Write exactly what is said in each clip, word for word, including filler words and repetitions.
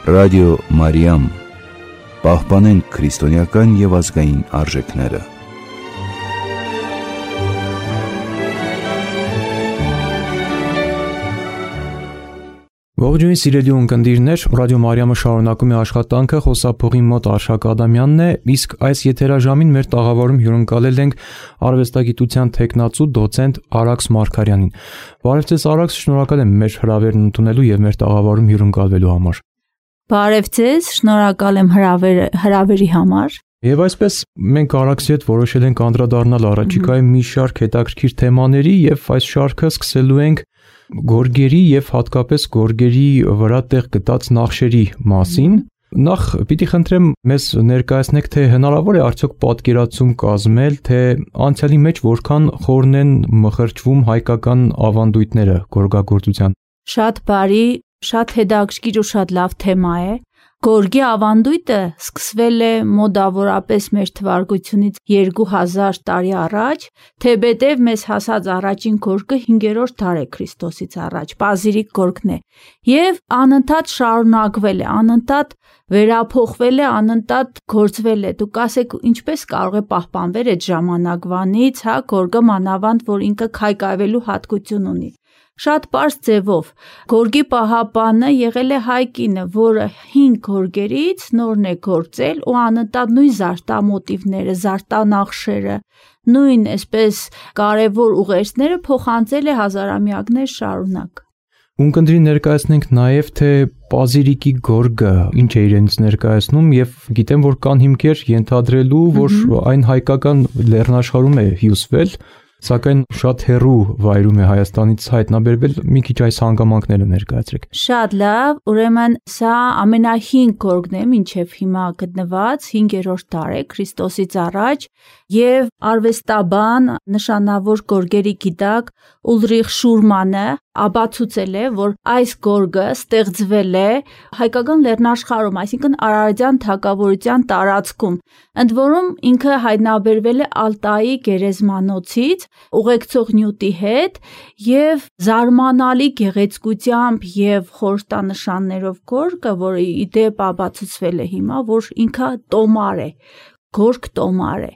Ռադիո Մարիամ, պահպանենք քրիստոնեական և ազգային արժեքները։ Ողջույն սիրելի ունկնդիրներ, Ռադիո Մարիամը շարունակում է աշխատանքը, խոսափողի մոտ Արշակ Ադամյանն է, իսկ այս եթերաժամին մեր տաղավարում հյուրընկալել ենք արվեստագիտության թեկնածու դոցենտ Արաքս Մարգարյանին։ Բարև ձեզ Արաքս, շնորհակալ եմ մեր հրավերն ընդունելու և մեր տաղավարում հյուրընկալվելու համար։ Բարև ձեզ, շնորհակալ եմ հրավերը, հրավերի համար։ Եվ այսպես մենք Արաքսի հետ որոշել ենք անդրադառնալ առաջիկայում մի շարք հետաքրքիր թեմաների և այս շարքը սկսելու ենք գորգերի և հատկապես գորգերի վրա տեղ գտած նախշերի մասին։ Նախ պիտի խնդրեմ մեզ ներկայացնեք, թե հնարավոր է արդյոք պատկերացում կազմել, թե անցյալի մեջ որքան խորն են մխրճվում հայկական ավանդույթները գորգագործության։ Շատ բարի, շատ հետաքրքիր ու շատ լավ թեմա է։ Գորգի ավանդույթը սկսվել է մոտավորապես մեր թվարկությունից երկու հազար տարի առաջ, թեպետև մեզ հասած առաջին գորգը հինգերորդ դար է Քրիստոսից առաջ, պազիրիկ գորգն է, և անընդհատ շարունակվել է, անընդհատ վերափոխվել է, անընդհատ գործվել է։ Դուք ասեք, ինչպես կարող է պահպանվել այդ ժամանակվանից, հա, գորգը մանավանդ, որ ինքը քայքայվելու հատկություն ունի։ Շատ պարզ ձևով գորգի պահապանը եղել է հայ կինը, որը հին գորգերից նորն է գործել ու անընդհատ նույն զարդամոտիվները, զարդանախշերը, նույն այսպես կարևոր ուղերձները փոխանցել է հազարամյակներ շարունակ։ Ունկնդրի ներկայացնենք նաև, թե պազիրիկի գորգը ինչ է իրենից ներկայացնում, և գիտեմ, որ կան հիմքեր ենթադրելու, որ այն հայկական լեռնաշխարհում է հյուսվել, սակայն շատ հեռու վայրում է Հայաստանից հայտնաբերվել, մի քիչ այս հանգամանքները ներկայացրեք։ Շատ լավ, ուրեմն սա ամենահին գորգն է մինչև հիմա գտնված, հինգերորդ դար է Քրիստոսից առաջ, և արվեստաբան, նշանավոր գորգերի գիտակ Ուլրիխ Շուրմանը ապացուցել է, որ այս գորգը ստեղծվել է հայկական լեռնաշխարհում, այսինքն Արարատյան թագավորության տարածքում, ընդ որում ինքը հայտնաբերվել է Ալտայի գերեզմանոցից ուղեկցող նյութի հետ և զարմանալի գեղեցկությամբ և խորհրդանշաններով գորգը, որը ի դեպ ապացուցվել է հիմա, որ ինքը տոմար է, գորգ տոմար է։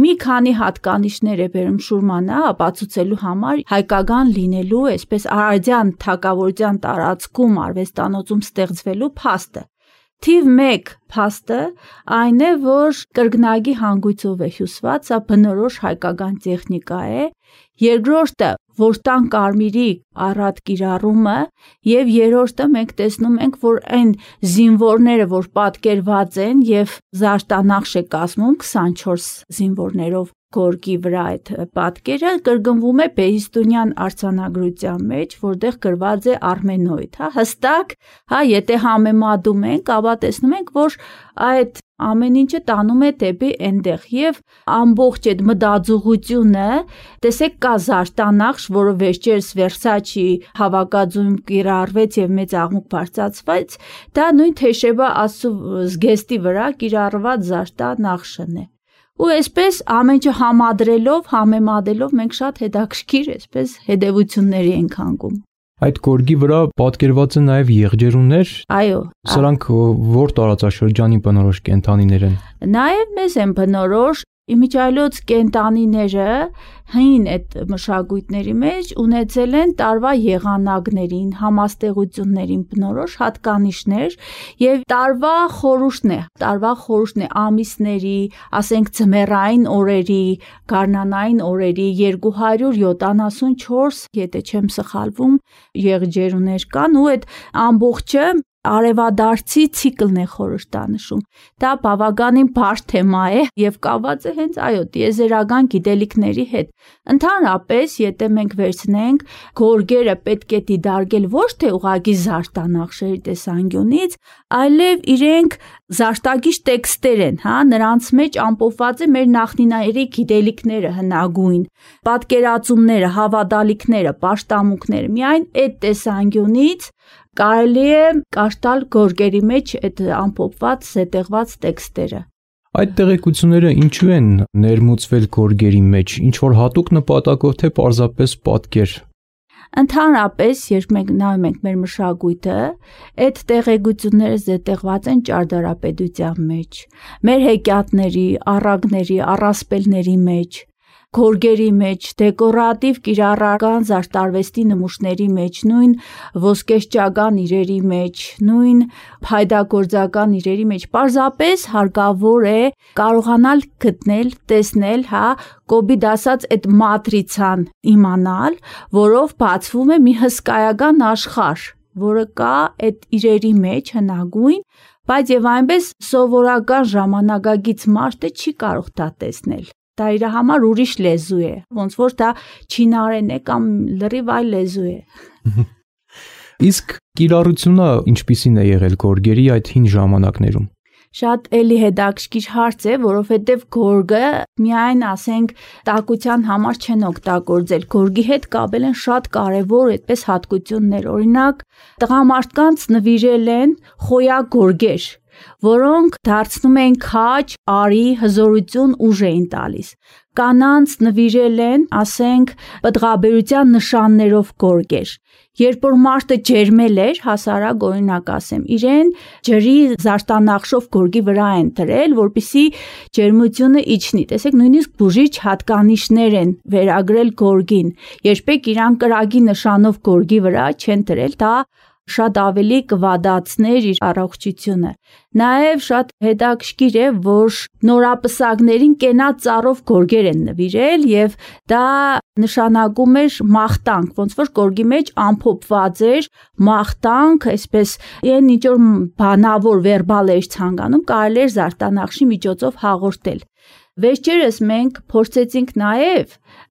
Մի քանի հատկանիշներ է բերում Շուրմանը ապացուցելու համար հայկական լինելու, այսպես Արարատյան թագավորության տարածքում արվեստանոցում ստեղծվելու փաստը։ Թիվ մեկ փաստը այն է, որ կրկնակի հանգույցով է հյուսված, սա բնորոշ հայկական տեխնիկա է։ Երկրորդը որտան կարմիրի առատ կիրառումը, և երրորդը մենք տեսնում ենք, որ այն զինվորները, որ պատկերված են և զարդանախշ է կազմում քսանչորս զինվորներով գորգի վրա այդ պատկերը, կրկնվում է Բեհիստունյան արձանագրության մեջ, որտեղ գրված է արմենոիդ, հա, հստակ, հա, եթե համեմատում ենք, ապա տեսնում ենք, որ այդ ամեն ինչը տանում է դեպի այնտեղ, և ամբողջ այդ մտածողությունը, տեսեք, կա զարդանախշ, որը վերջերս Վերսաչի հավաքածուում կիրառվեց և մեծ աղմուկ բարձրացվեց, դա նույն Թեշեբա աստծու զգեստի վրա կիրառված զարդանախշն է։ Ու այսպես ամեն ինչը համադրելով, համեմատելով մենք շատ հետաքրքիր այսպես հետևությունների ենք հանգում։ Այդ գորգի վրա պատկերված են նաև եղջերուներ։ Այո։ Սրանք որ տարածաշրջանի բնորոշ կենդանիներ են։ Նաև մեզ են բնորոշ, իմիջիայլոց կենդանիները հին այդ մշակույթների մեջ ունեցել են տարվա եղանակներին, համաստեղություններին բնորոշ հատկանիշներ և տարվա խորհուրդն է, տարվա խորհուրդն է ամիսների, ասենք ձմեռային օրերի, գարնանային օրերի երկու հարյուր յոթանասունչորս, եթե չեմ սխալվում, եղջերուներ կան ու այդ ամբողջը արևադարձի ցիկլն է խորհրդանշում։ Դա բավականին բարդ թեմա է և կապված է հենց այո տիեզերական գիտելիքների հետ։ Ընդհանրապես, եթե մենք վերցնենք, գորգերը պետք է դիտարկել ոչ թե ուղղակի զարդանախշերի տեսանկյունից, այլև իրենք զարդագիչ տեքստեր են, հա, նրանց մեջ ամփոփված է մեր նախնիների գիտելիքները հնագույն, պատկերացումները, հավատալիքները, պաշտամունքները։ Միայն այդ տեսանկյունից կարելի է կարդալ գորգերի մեջ այդ ամփոփված, զետեղված տեքստերը։ Այդ տեղեկությունները ինչու են ներմուծվել գորգերի մեջ, ինչ որ հատուկ նպատակով, թե պարզապես պատկեր։ Ընդհանրապես, երբ մենք նայում ենք մեր մշակույթը, այդ տեղեկությունները զետեղված են ճարտարապետության մեջ, մեր հեքիաթների, առակների, առասպելների մեջ, գորգերի մեջ, դեկորատիվ կիրառական զարդարվեստի նմուշների մեջ, նույն ոսկեշճական իրերի մեջ, նույն փայդագործական իրերի մեջ, պարզապես հարկավոր է կարողանալ գտնել, տեսնել, հա, կոբիդ ասած այդ մատրիցան իմանալ, որով բացվում է մի հսկայական աշխարհ, որը կա այդ իրերի մեջ հնագույն, բայց եւ այնպես սովորական ժամանակագից մարդը չի կարող դա տեսնել։ Դա իր համար ուրիշ լեզու է, ոնց որ դա չինարեն է կամ լրիվ այլ լեզու է։ Իսկ կիրառությունը ինչպիսին է եղել գորգերի այդ հին ժամանակներում։ Շատ էլի հետաքրքիր հարց է, որովհետև գորգը միայն ասենք տակության համար չեն օգտագործել, գորգի հետ կապել են շատ կարևոր այդպես հատկություններ, օրինակ տղամարդկանց նվիրել են խոյակ գորգեր, որոնք դարձնում են քաջ, արի, հզորություն, ուժ էին տալիս։ Կանանց նվիրել են, ասենք, պտղաբերության նշաններով գորգեր։ Երբ որ մարդը ջերմել էր, հասարակ օրինակ ասեմ, իրեն ջրի զարդանախշով գորգի վրա են դրել, որպեսզի ջերմությունը իջնի։ Տեսեք, նույնիսկ բուժիչ հատկանիշներ են վերագրել գորգին։ Երբեք իրան կրակի նշանով գորգի վրա չեն դրել, դա շատ ավելի կվադացներ իր առողջությունը։ Նաև շատ հետաքրքիր է, որ նորապսակներին կենաց ծառով գորգեր են նվիրել եւ դա նշանակում էր մաղթանք, ոնց որ գորգի մեջ ամփոփված էր մաղթանք, այսպես այն ինչ որ բանավոր վերբալ էր ցանկանում, կարելի էր զարդանախշի միջոցով հաղորդել։ Վերջերս մենք փորձեցինք նաև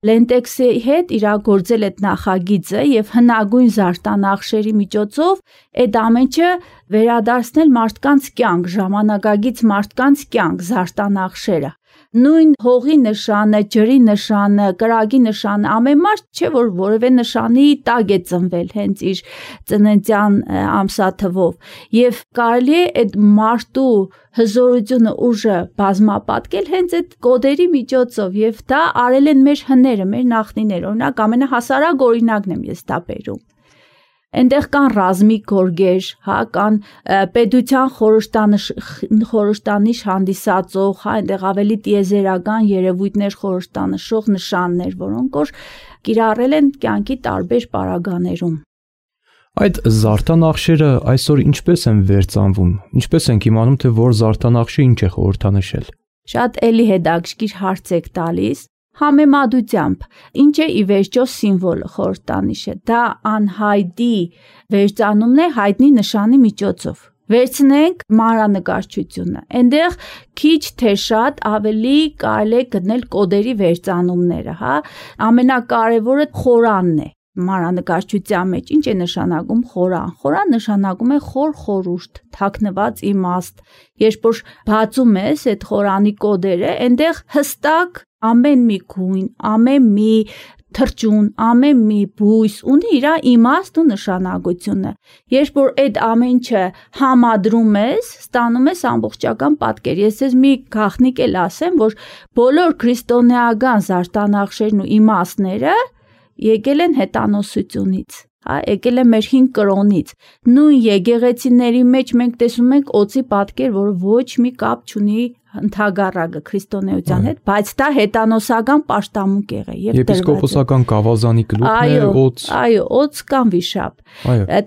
լենտեքսի հետ իրագործել այդ նախագիծը եւ հնագույն զարդանախշերի միջոցով այդ ամենը վերադարձնել մարդկանց կյանք, ժամանակագից մարդկանց կյանք, զարդանախշերը։ Նույն հողի նշանը, ջրի նշանը, կրակի նշանը, ամեն մարդ չէ որ որևէ նշանի տակ է ծնվել հենց իր ծննդյան ամսաթվով եւ կարելի է այդ մարդու հզորությունը, ուժը բազմապատկել հենց այդ կոդերի միջոցով եւ դա արել են մեր հները, մեր նախնիները, օրինակ ամենահասարակ օրինակն եմ ես դա բերում։ Այնտեղ կան ռազմիկ գորգեր, հա, կան պետության խորհրդանիշ խորհրդանիշ հանդիսացող, հա, այնտեղ ավելի տիեզերական երևույթներ խորհրդանշող նշաններ, որոնք որ կիրառել են կյանքի տարբեր պարագաներում։ Այդ զարդանախշերը այսօր ինչպես են վերծանվում։ Ինչպես ենք իմանում, թե որ զարդանախշը ինչ է խորհրդանշել։ Շատ էլի հետաքրքիր հարց եք տալիս։ Համեմատությամբ, ինչ է ի վերջո սիմվոլը, խորհրդանիշը, դա անհայտի վերծանումն է հայտնի նշանի միջոցով։ Վերցնենք մանրանկարչությունը, այնտեղ քիչ թե շատ ավելի կարելի է գտնել կոդերի վերծանումները, հա, ամենակարևորը խորանն է մանրանկարչության մեջ։ Ինչ է նշանակում խորան։ Խորան նշանակում է խոր խորհուրդ, թաքնված իմաստ։ Երբ որ բացում ես այդ խորանի կոդերը, այնտեղ հստակ ամեն մի գույն, ամեն մի թրջուն, ամեն մի բույս ունի իր իմաստ ու նշանակությունը։ Երբ որ այդ ամենը համադրում ես, ստանում ես ամբողջական պատկեր։ Ես ես մի գաղտնիք էլ ասեմ, որ բոլոր քրիստոնեական զարդանախշերն ու իմաստները եկել են հետանոսությունից, հա, եկել է մեր հին կրոնից։ Նույն եկեղեցիների մեջ մենք տեսնում ենք օծի պատկեր, որը ոչ մի կապ չունի ընդհանրակը քրիստոնեության հետ, բայց դա հետանոսական պաշտամունք եղել եւ դրված է։ Եպիսկոպոսական գավազանի գլուխն է օծ։ Այո, օծ կամ վիշապ։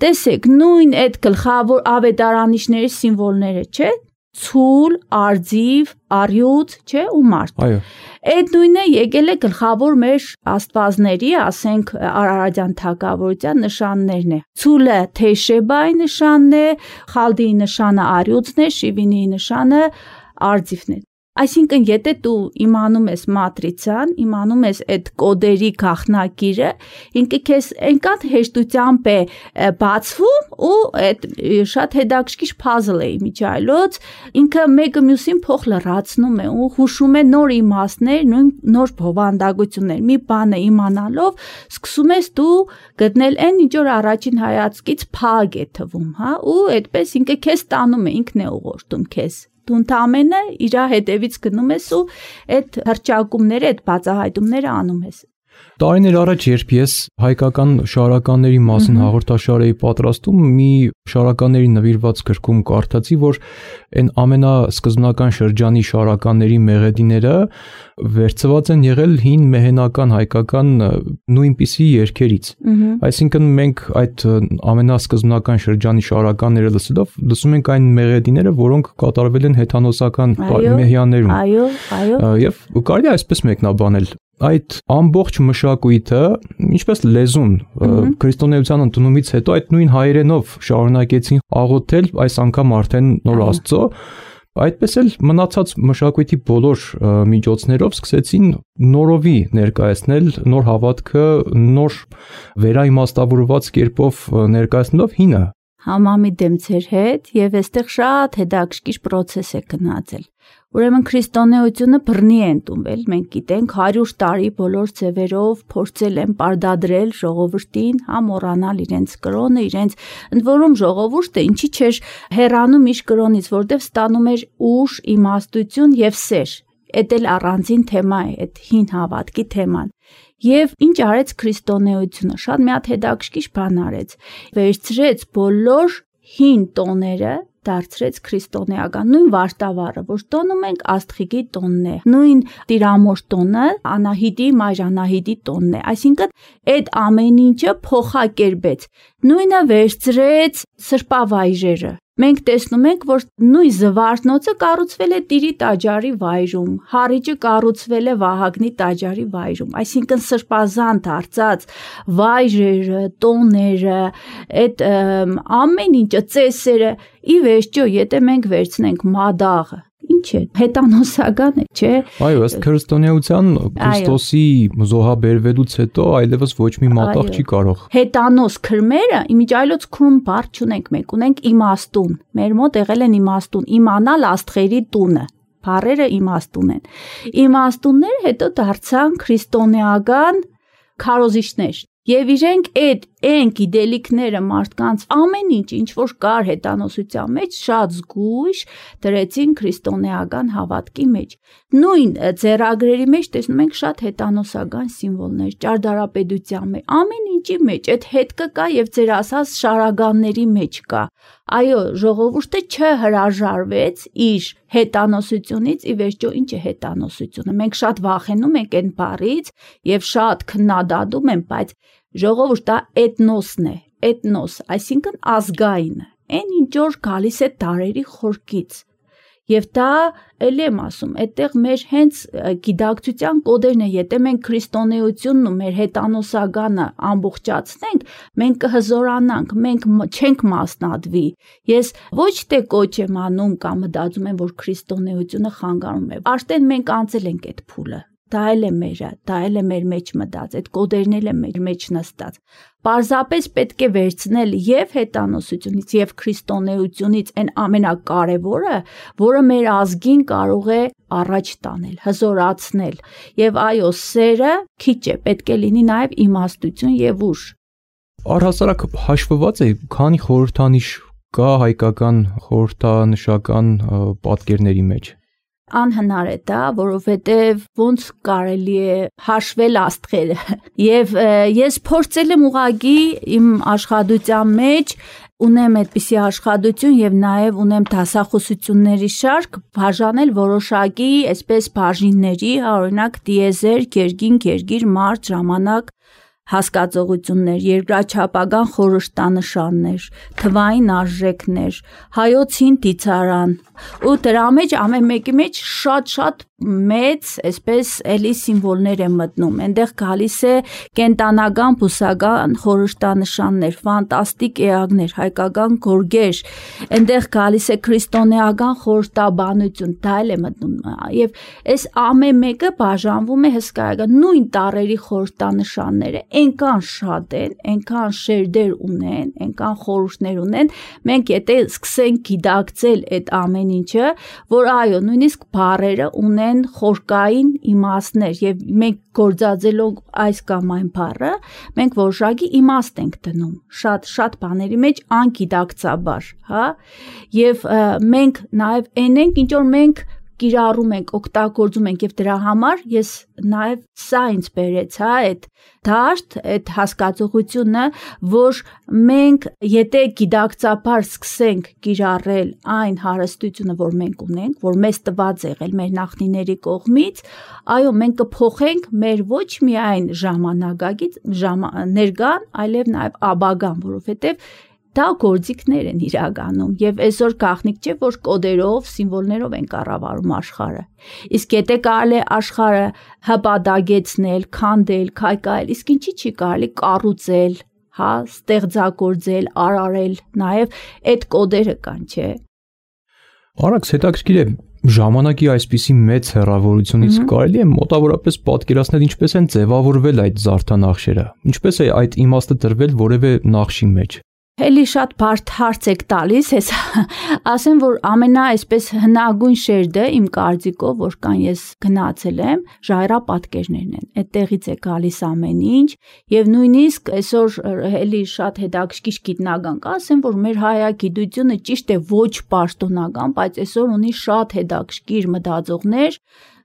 Տեսեք, նույն այդ գլխավոր ավետարանիչների սիմվոլները, չէ՞։ Ցուլ, արձիվ, արյուծ, չէ, ու մարդ։ Այո։ Այդ նույնը եկել է գլխավոր մեր աստվածների, ասենք արարատյան թագավորության նշաններն է։ Ցուլը Թեշեբայի նշանն է, Խալդիի նշանը արյուծն է, Շիվինիի նշանը արձիվն է։ Այսինքն, եթե դու իմանում ես մատրիցան, իմանում ես այդ կոդերի գաղտնագիրը, ինքը քեզ այնքան հեշտությամբ է բացվում ու այդ շատ հետաքրքիր puzzle է իմիջայլոց, ինքը մեկը մյուսին փոխ լրացնում է ու հուշում է նոր իմաստներ, նույն նոր բովանդակություններ։ Մի բանը իմանալով սկսում ես դու գտնել այն, ինչ որ առաջին հայացքից փակ է թվում, հա, ու այդպես ինքը քեզ տանում է, ինքն է ուղղորդում քեզ։ Դու ընդամենը իր հետևից գնում ես ու այդ հրճակումները, այդ բացահայտումները անում ես։ Տարիներ առաջ, երբ ես հայկական շարականների մասին հաղորդաշար էի պատրաստում, մի շարականների նվիրված գրքում կարդացի, որ այն ամենասկզբնական շրջանի շարականների մեղեդիները վերցված են եղել հին մեհենական հայկական նույնպիսի երգերից։ Այսինքն մենք այդ ամենասկզբնական շրջանի շարականները լսելով լսում ենք այն մեղեդիները, որոնք կատարվել են հեթանոսական մեհյաններում։ Այո, այո։ Եվ կարելի է այսպես մեկնաբանել այդ ամբողջ մշակույթը, ինչպես լեզուն, քրիստոնեության ընդունումից հետո այդ նույն հայերենով շարունակեցին աղոթել, այս անգամ արդեն նոր Աստծո, այդպես էլ մնացած մշակույթի բոլոր միջոցներով սկսեցին նորովի ներկայացնել նոր հավատքը, նոր վերաիմաստավորված կերպով ներկայացնելով հինը։ Համամիտ եմ ձեր հետ, եւ այստեղ շատ հետաքրքիր process է գնացել։ Ուրեմն քրիստոնեությունը բռնի է ընդունվել, մենք գիտենք հարյուր տարի բոլոր ձևերով փորձել են պարտադրել ժողովրդին, հա մոռանալ իրենց կրոնը, իրենց ընդ որում ժողովուրդը ինչի չէր հեռանում իր կրոնից, որտեվ ստանում էր ուժ, իմաստություն եւ սեր։ Էդ էլ առանձին թեմա է, այդ հին հավատքի թեման։ Եվ ինչ արեց քրիստոնեությունը, շատ մի հատ հետաքրքիր բան արեց։ Վերցրեց բոլոր հին տոները, դարձրեց քրիստոնեական, նույն վարդավառը, որ տոնում ենք Աստղիկի տոնն է, նույն Տիրամոր տոնը, Անահիտի, Մայր Անահիտի տոնն է, այսինքն այդ ամեն ինչը փոխակերպեց, նույնը վերցրեց սրբավայրերը։ Մենք տեսնում ենք, որ նույն զվարթնոցը կառուցվել է Տիրի տաճարի վայրում, Հառիճը կառուցվել է Վահագնի տաճարի վայրում, այսինքն սրբազան դարձած վայրերը, տոները, այդ ամեն ինչը, ծեսերը, ի վերջո, եթե մենք վերցնենք մադաղը, ինչ է, հետանոսական է, չէ։ Այո, ըստ քրիստոնեության Քրիստոսի զոհաբերվելուց հետո այլևս ոչ մի մատաղ չի կարող։ Հետանոս քրմերը, իմիջայլոց քրում բառ չունենք, մենք ունենք իմաստուն։ Մեր մոտ եղել են իմաստուն, իմանալ աստղերի տունը։ Բառերը իմաստուն են։ Իմաստունները հետո դարձան քրիստոնեական քարոզիչներ։ Եվ իրենք այդ այն գիտելիքները մարդկանց ամեն ինչ, ինչ որ կար հետանոսության մեջ, շատ զգույշ դրեցին քրիստոնեական հավատքի մեջ։ Նույն ձեռագրերի մեջ տեսնում ենք շատ հետանոսական սիմվոլներ, ճարտարապետության մեջ, ամեն ինչի մեջ, այդ հետքը կա եւ ձեր ասած շարականների մեջ կա։ Այո, ժողովուրդը չհրաժարվեց իր հետանոսությունից, ի վերջո ինչ է հետանոսությունը։ Մենք շատ վախենում ենք այն բառից եւ շատ քննադատում ենք, բայց ժողովուրդը էթնոսն է, էթնոս, այսինքն ազգայինը, այն ինչ որ գալիս է տարերի խորքից։ Եվ դա էլ եմ ասում, այդտեղ մեր հենց գիտակցության կոդերն է, եթե մենք քրիստոնեությունն ու մեր հետանոսականը ամբողջացնենք, մենք կհզորանանք, մենք չենք մասնատվի։ Ես ոչ թե կոչ եմ անում կամ մտածում եմ, որ քրիստոնեությունը խանգարում է, արդեն մենք անցել ենք այդ փուլը։ Դա էլ է մերը, դա էլ է մեր մեջ մտած, այդ կոդերն էլ է մեր մեջ նստած։ Պարզապես պետք է վերցնել եւ հետանոսությունից եւ քրիստոնեությունից այն ամենակարևորը, որը մեր ազգին կարող է առաջ տանել, հզորացնել։ Եվ այո, սերը քիչ է, պետք է լինի նաեւ իմաստություն եւ ուժ։ Առհասարակ հաշվված է, քանի խորհրդանիշ կա հայկական խորհրդանշական պատկերների մեջ։ Անհնար է դա, որովհետև ոնց կարելի է հաշվել աստղերը։ Եվ ես փորձել եմ ուղղակի իմ աշխատության մեջ ունեմ այդպիսի աշխատություն եւ նաեւ ունեմ դասախոսությունների շարք բաժանել որոշակի այսպես բաժինների, օրինակ դիեզեր, գերգին, գերգիր, մարդ, ժամանակ, հասկացողություններ, երկրաչափական խորհրդանշաններ, թվային արժեքներ, հայոց հին դիցարան, ու դրա մեջ ամեն մեկի մեջ շատ-շատ մեծ, այսպես էլի սիմվոլներ են մտնում, այնտեղ գալիս է կենտանական, բուսական խորհրդանշաններ, ֆանտաստիկ էակներ, հայկական գորգեր, այնտեղ գալիս է քրիստոնեական խորհրդաբանություն, դա էլ է մտնում, եւ այս ամեն մեկը բաժանվում է հսկայական նույն տարերի խորհրդանշանները, այնքան շատ են, այնքան շերտեր ունեն, այնքան խորհուրդներ ունեն, մենք եթե սկսենք գիտակցել այդ ամեն ինչը, որ այո, նույնիսկ բառերը ունեն խորքային իմաստներ եւ մենք գործածելով այս կամ այն բառը, մենք որոշակի իմաստ ենք դնում, շատ շատ բաների մեջ անգիտակցաբար, հա, եւ մենք նաեւ այն ենք, ինչ որ մենք կիրառում ենք, օգտագործում ենք եւ դրա համար ես նաեւ սա ինձ բերեց, հա, այդ դաշտ, այդ հասկացողությունը, որ մենք եթե գիտակցաբար սկսենք կիրառել այն հարստությունը, որ մենք ունենք, որ մեզ տված եղել մեր նախնիների կողմից, այո, մենք կփոխենք մեր ոչ միայն ժամանակագից ներկան, այլև նաեւ ապագան, որովհետեւ դա գործիքներ են իրականում եւ այսօր գաղտնիք չէ որ կոդերով, սիմվոլներով են կառավարում աշխարհը։ Իսկ եթե կարելի է աշխարհը հպատակեցնել, քանդել, քայքայել, իսկ ինչի՞ չի կարելի կառուցել, հա, ստեղծագործել, արարել, նաեւ այդ կոդերը կան, չէ։ Արաքս հետաքրքիր է ժամանակի այսպիսի մեծ հեռավորությունից կարելի է մոտավորապես պատկերացնել ինչպես են ձևավորվել այդ զարդանախշերը, ինչպես է այդ իմաստը տրվել որևէ նախշի մեջ։ Էլի շատ բարդ հարց եք տալիս, ես ասեմ, որ ամենա այսպես հնագույն շերտը իմ կարծիքով, որ կան ես գնացել եմ, ժայռապատկերներն են, այդտեղից է գալիս ամեն ինչ, եւ նույնիսկ այսօր էլի շատ հետաքրքիր գիտնական կա, ասեմ, որ մեր հայագիտությունը ճիշտ է ոչ պաշտոնական, բայց այսօր ունի շատ հետաքրքիր մտածողներ,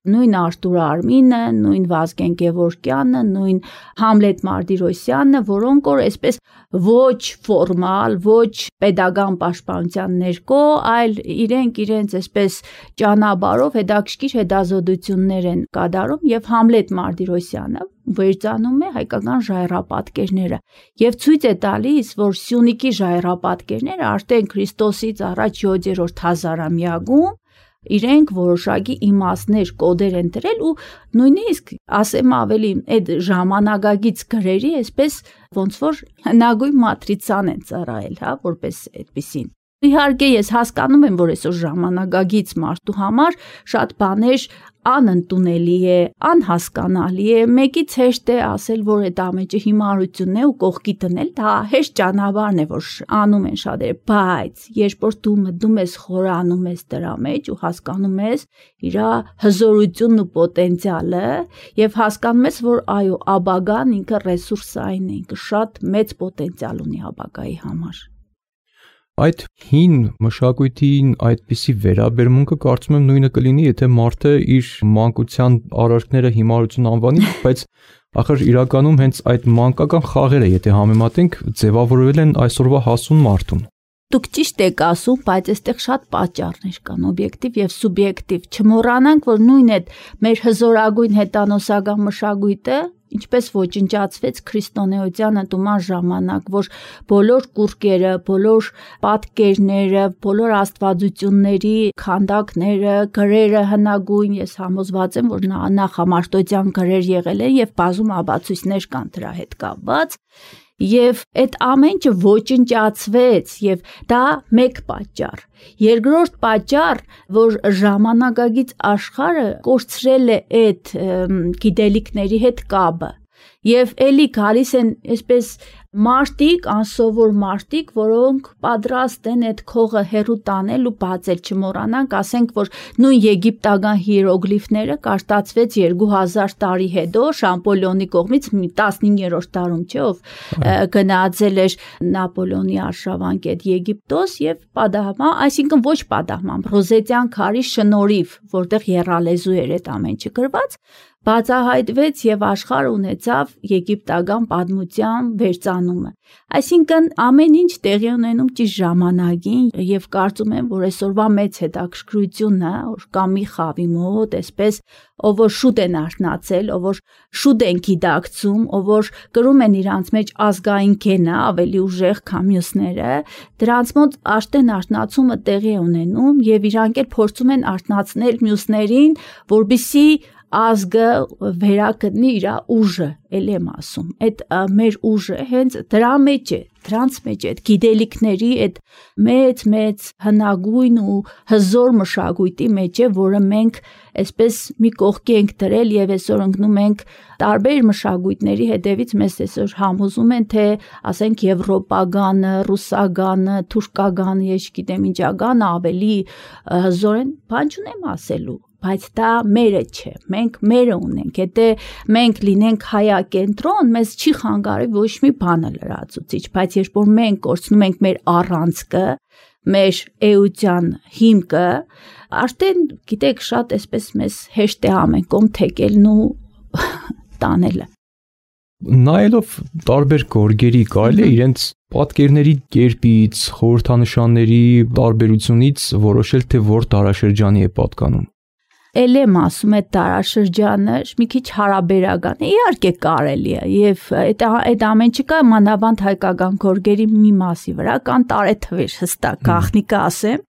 նույն Արտուր Արմինը, նույն Վազգեն Գևորգյանը, նույն Համլետ Մարտիրոսյանը, որոնք որ այսպես ոչ ֆորմալ, ոչ pedagogan պաշտպանության ներքո, այլ իրենք իրենց այսպես ճանապարհով հետաքրքիր հետազոտություններ են կատարում եւ Համլետ Մարտիրոսյանը վերցանում է հայկական ժայռապատկերները եւ ցույց է տալիս, որ Սյունիքի ժայռապատկերները արդեն Քրիստոսից առաջ յոթերորդ հազարամյակում իրենք որոշակի իմաստներ կոդեր են դրել ու նույնիսկ ասեմ ավելի այդ ժամանակագից գրերի այսպես ոնց որ հնագույն մատրիցան են ծառայել, հա, որպես այդպեսին։ Իհարկե ես հասկանում եմ, որ այսօր ժամանակագից մարդու համար շատ բաներ անընդունելի է, անհասկանալի է, մեկից հեշտ է ասել, որ այդ ամենը հիմարությունն է ու կողքի դնել, դա հեշտ ճանապարհն է, որ անում են շատերը, բայց երբ որ դու մտնում ես խորանում ես դրա մեջ ու հասկանում ես իր հզորությունն ու պոտենցիալը եւ հասկանում ես, որ այո, ապագան ինքը ռեսուրսային է, ինքը շատ մեծ պոտենցիալ ունի ապագայի համար։ Այդ հին մշակույթին այդպիսի վերաբերմունքը կարծում եմ նույնը կլինի, եթե մարդը իր մանկության արարքները հիմարություն անվանի, բայց ախր իրականում հենց այդ մանկական խաղերը, եթե համեմատենք, ձևավորվել են այսօրվա հասուն մարդուն։ Դուք ճիշտ եք ասում, բայց այստեղ շատ պատճառներ կան, օբյեկտիվ եւ սուբյեկտիվ։ Չմոռանանք, որ նույն այդ մեր հզորագույն հետանոսական մշակույթը ինչպես ոչնչացվեց քրիստոնեության ընդունման ժամանակ, որ բոլոր կուրկերը, բոլոր պատկերները, բոլոր աստվածությունների քանդակները, գրերը հնագույն, ես համոզված եմ, որ նախամարտոդյան գրեր եղել են եւ բազում ապացույցներ կան դրա հետ կապված։ Եվ այդ ամենը ոչնչացվեց եւ դա մեկ պատճառ։ Երկրորդ պատճառ, որ ժամանակագից աշխարհը կորցրել է այդ գիտելիքների հետ կապը եւ էլի գալիս են այսպես մարտիկ, անսովոր մարտիկ, որոնք պատրաստ են այդ քողը հերու տանել ու բացել, չմոռանանք, ասենք, որ նույն եգիպտական հիերոգլիֆները կարտացվեց երկու հազար տարի հետո Շամպոլիոնի կողմից տասնհինգերորդ դարում, չէ՞, ով գնացել էր Նապոլեոնի արշավանք այդ Եգիպտոս եւ պատահմա, այսինքն ոչ պատահմամբ, Ռոզետյան քարի շնորհիվ, որտեղ եռալեզու էր այդ ամենը գրված, բացահայտվեց եւ աշխարհը ունեցավ եգիպտական պատմության վերծանումը։ Այսինքն ամեն ինչ տեղի ունենում ճիշտ ժամանակին եւ կարծում եմ, որ այսօրվա մեծ հետաքրքրությունն է, որ կա մի խավի մոտ, այսպես ով որ շուտ են արթնացել, ով որ շուտ են գիտակցում, ով որ կրում են իրանց մեջ ազգային գենը ավելի ուժեղ քան մյուսները, դրանց մոտ աշտեն արթնացումը տեղի է ունենում եւ իրանք էլ փորձում են արթնացնել մյուսներին, որբիսի ազգը վերակդնի իր ուժը, ել եմ ասում, այդ մեր ուժը հենց դրա մեջ է, դրանց մեջ է, այդ գիտելիքների այդ մեծ-մեծ հնագույն ու հզոր մշակույթի մեջ է, որը մենք այսպես մի կողքի ենք դրել եւ այսօր ընկնում ենք տարբեր մշակույթների հետևից մեզ այսօր համոզում են, թե ասենք եվրոպագանը, ռուսագանը, թուրքագանը, ես գիտեմ ինչագանը ավելի հզոր են, բան չունեմ ասելու։ Բայց դա մերը չէ, մենք մերը ունենք, եթե մենք լինենք հայակենտրոն, մեզ չի խանգարի ոչ մի բանը լրացուցիչ, բայց երբ որ մենք կորցնում ենք մեր առանցքը, մեր էության հիմքը, արդեն գիտեք շատ այսպես մեզ հեշտ է ամեն կողմ թեկելն ու տանելը։ Նայելով տարբեր գորգերի կարելի է իրենց պատկերների կերպից, խորհրդանշանների տարբերությունից որոշել, թե որ դարաշրջանի է պատկանում։ Էլ եմ ասում այդ դարաշրջանը մի քիչ հարաբերական է, իհարկե կարելի է, եւ այդ այդ ամեն չկա մանավանդ հայկական գորգերի մի մասի վրա կան տարեթվեր հստակ, գաղտնիքը ասեմ,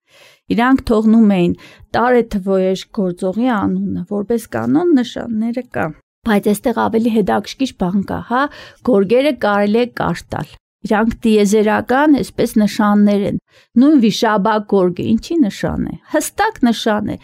իրանք թողնում էին տարեթվոյեշ գործողի անունը, որպես կանոն նշանները կան։ Բայց այստեղ ավելի հետաքրքիր բան կա, հա, գորգերը կարելի է կարտալ։ Իրանք տիեզերական, այսպես նշաններ են։ Նույն վիշաբակ գորգը ինչի նշան է։ Հստակ նշան է։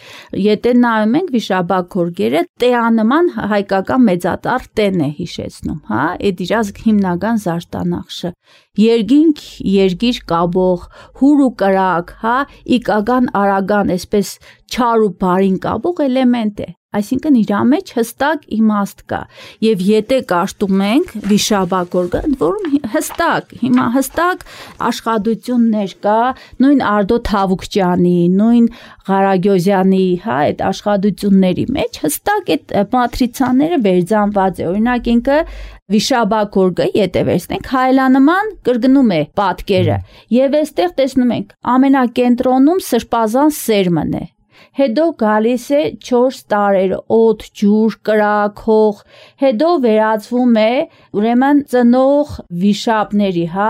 Եթե նայում ենք վիշաբակ գորգերը, տեանման հայկական մեծատառ տեն է հիշեցնում, հա, այդ իր հիմնական զարդանախշը։ Երգինք, երգիր կաբող, հուր ու կրակ, հա, իգական արագան, այսպես չար ու բարին կաբող էլեմենտ է։ Այսինքն իր մեջ հստակ իմաստ կա եւ եթե կաշտում ենք վիշաբակ գորգը, որում հստակ, հիմա հստակ աշխատություններ կա, նույն Արտո Թավուկչյանի, նույն Ղարագյոզյանի, հա, այդ աշխատությունների մեջ հստակ այդ մատրիցաները վերձանված է։ Օրինակ ինքը վիշաբակ գորգը, եթե վերցնենք, հայելանման կրկնում է պատկերը եւ այստեղ տեսնում ենք ամենակենտրոնում սրբազան սերմն է։ Հետո գալիս է չորս տարեր, օդ, ջուր, կրակ, հող, հետո վերածվում է ուրեմն ծնող վիշապների, հա,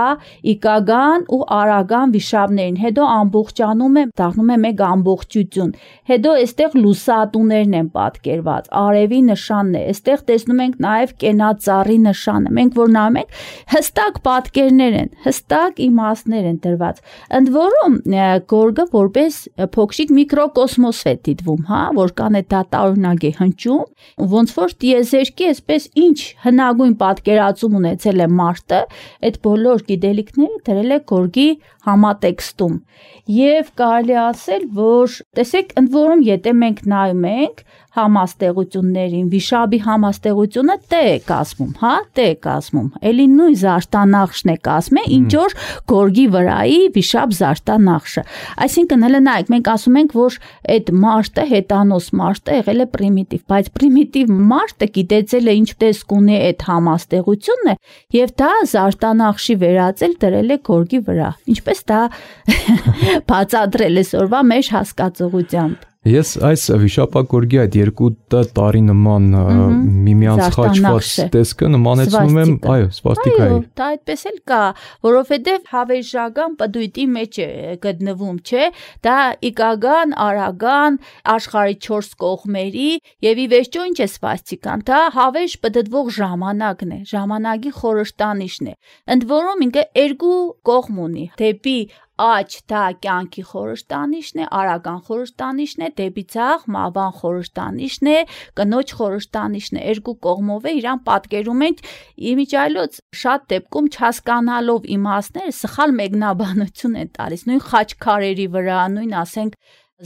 իգական ու արագան վիշապներին, հետո ամբողջանում է, դառնում է մեկ ամբողջություն, հետո այստեղ լուսատուներն են պատկերված, արևի նշանն է, այստեղ տեսնում ենք նաև կենածառի նշանը, մենք որ նայում ենք, հստակ պատկերներ են, հստակ իմաստներ են դրված, ընդ որում գորգը որպես փոքրիկ միկրոկոսմոս է դիտվում, հա, որքան է դա տարօրինակ է հնչում, ոնց որ տիեզերքի այսպես ինչ հնագույն պատկերացում ունեցել է մարդը, այդ բոլոր գիտելիքները դրել է գորգի համատեքստում։ Եվ կարելի ասել, որ տեսեք, ընդ որում եթե մենք նայում ենք համաստեղություններին, վիշաբի համաստեղությունը տե է կազմում, հա, տե է կազմում, էլի նույն զարդանախշն է կազմում, ինչ որ գորգի վրայի վիշապ զարդանախշը։ Այսինքն հələ նայեք, մենք ասում ենք, որ այդ մարդը, հետանոս մարդը եղել է պրիմիտիվ, բայց պրիմիտիվ մարդը գիտեցել է ինչ տեսք ունի այդ համաստեղությունը եւ դա զարդանախշի վերածել դրել է գորգի վրա։ Ինչպես դա բացատրել է սորվա մեր հասկացողությամբ։ Ես այս վիշապակ գորգի այդ երկու տարի նման միմյանց խաչված տեսքը նմանեցնում եմ, այո, սվաստիկայի։ Այո, դա այդպես էլ կա, որովհետև հավերժական պտույտի մեջ է գտնվում, չէ՞, դա իգական, արագան, աշխարհի չորս կողմերի եւ ի վերջո ինչ է սվաստիկան, դա հավերժ պտտվող ժամանակն է, ժամանակի խորհրդանիշն է։ Ընդ որում ինքը երկու կողմ ունի, դեպի աջ դա կյանքի խորհրդանիշն է, արագան խորհրդանիշն է, դեպի ցախ մավան խորհրդանիշն է, կնոջ խորհրդանիշն է, երկու կողմով է իրան պատկերում ենք իմիջայլոց շատ դեպքում չհասկանալով իմաստները սխալ մեկնաբանություն են տալիս, նույն խաչքարերի վրա, նույն ասենք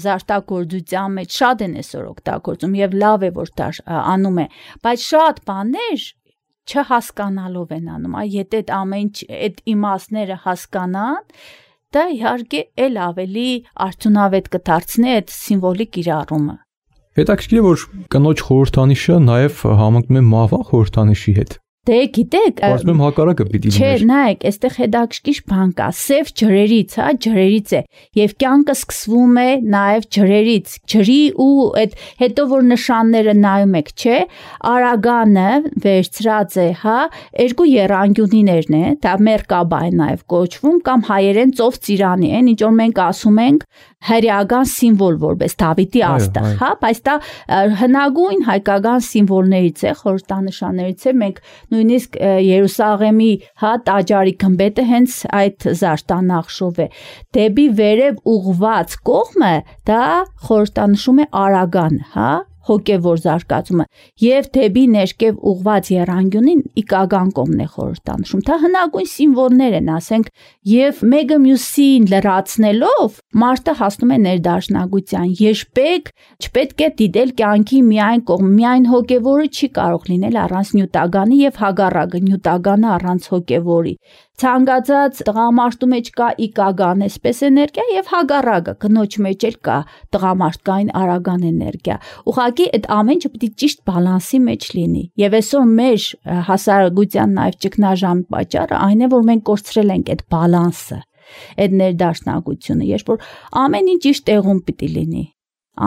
զարդագործության մեջ շատ են այսօր օգտագործում եւ լավ է որ դա անում է, բայց շատ բաներ չհասկանալով են անում, այ եթե այդ ամեն այդ իմաստները հասկանան, դա իհարկե էլ ավելի արդյունավետ կդարձնի այդ սիմվոլիկ կիրառումը։ Հետաքրքիր է, որ կնոջ խորհրդանիշը նաև համընկնում է մահվան խորհրդանիշի հետ։ Դե գիտեք, ասում եմ հակառակը պիտի լիներ։ Չէ, նայեք, այստեղ հետաքրքիր բան կա, սև ջրերից, հա, ջրերից է, եւ կյանքը սկսվում է նաեւ ջրերից, ջրի ու այդ հետո որ նշանները նայում եք, չէ, արագանը վերցրած է, հա, երկու եռանկյունիներն է, դա մերկաբա է նաեւ կոչվում կամ հայերեն ծով ծիրանի են, ինչ որ մենք ասում ենք հրեական սիմվոլ որպես Դավիթի աստղ, հա, բայց դա հնագույն հայկական սիմվոլներից է, խորհրդանշաններից է, մենք նույնիսկ Երուսաղեմի, հա, տաճարի գմբեթը հենց այդ զարդանախշով է։ Դեպի վերև ուղված կողմը դա խորհրդանշում է արագան, հա, հոգևոր զարգացումը եւ դեպի ներքև ուղված եռանկյունին իգական կողմն է խորհրդանշում։ Դա հնագույն սիմվոլներ են, ասենք, եւ մեկը մյուսին լրացնելով մարդը հասնում է ներդաշնակության։ Երբեք չպետք է դիտել կյանքի միայն կողմ, միայն հոգևորը չի կարող լինել առանց նյութականի եւ հագառակը նյութականը առանց հոգևորի։ Ցանկացած տղամարդու մեջ կա իկագան այսպես էներգիա եւ հագարակը կնոջ մեջ էլ կա տղամարդկային արագան էներգիա։ Ուղղակի այդ ամեն ինչը պետք է ճիշտ բալանսի մեջ լինի։ Եվ այսօր մեր հասարակության նաեւ ճգնաժամի պատճառը այն է, որ մենք կորցրել ենք այդ բալանսը, այդ ներդաշնակությունը, երբ որ ամեն ինչ ճիշտ տեղում պետք է լինի։